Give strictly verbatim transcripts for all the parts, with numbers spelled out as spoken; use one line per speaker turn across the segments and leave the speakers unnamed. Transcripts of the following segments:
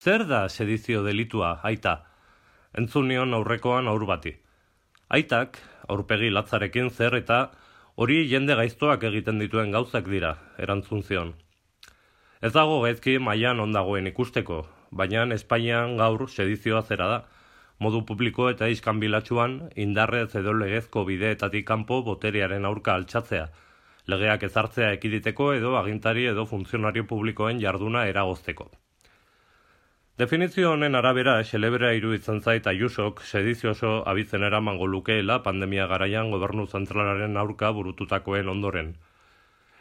Zer da sedizio delitua, aita? Entzun nion aurrekoan aur bati. Aitak, aurpegi latzarekin zer eta hori jende gaiztoak egiten dituen gauzak dira, erantzun zion. Ez dago gaizki mailan ondagoen ikusteko, baina Espainian gaur sedizioa zera da. Modu publiko eta iskanbilatsuan indarrez edo legezko bideetatik kanpo boterearen aurka altxatzea, legeak ezartzea ekiditeko edo agintari edo funtzionario publikoen jarduna eragozteko. Definizio honen arabera, xelebrea iruditzen zait Ayusok sedizio oso abizen eramango lukeela pandemia garaian gobernu zentralaren aurka burututakoen ondoren.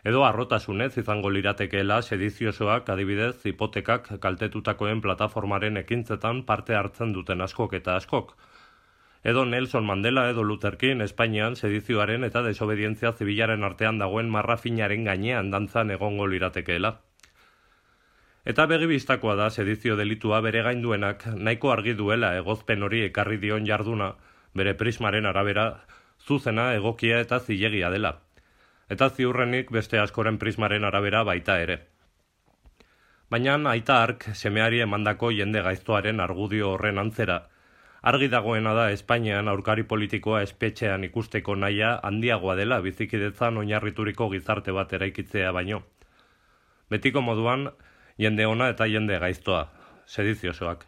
Edo arrotasunez izango liratekeela sediziosoak adibidez hipotekak kaltetutakoen plataformaren ekintzetan parte hartzen duten askok eta askok. Edo Nelson Mandela edo Luther King Espainian sedizioaren eta desobedientzia zibilaren artean dagoen marra finaren gainean dantzan egongo liratekeela. Eta begibistakoa da sedizio delitua bere gainduenak nahiko argi duela egozpen hori ekarri dion jarduna, bere prismaren arabera zuzena, egokia eta zilegia dela. Eta ziurrenik beste askoren prismaren arabera baita ere. Baina aita hark semeari emandako jende gaiztoaren argudio horren antzera, argi dagoena da Espainian aurkari politikoa espetxean ikusteko nahia handiagoa dela bizikidetzan oinarrituriko gizarte bat eraikitzea baino. Betiko moduan, jende ona eta jende gaiztoa, sediziosoak.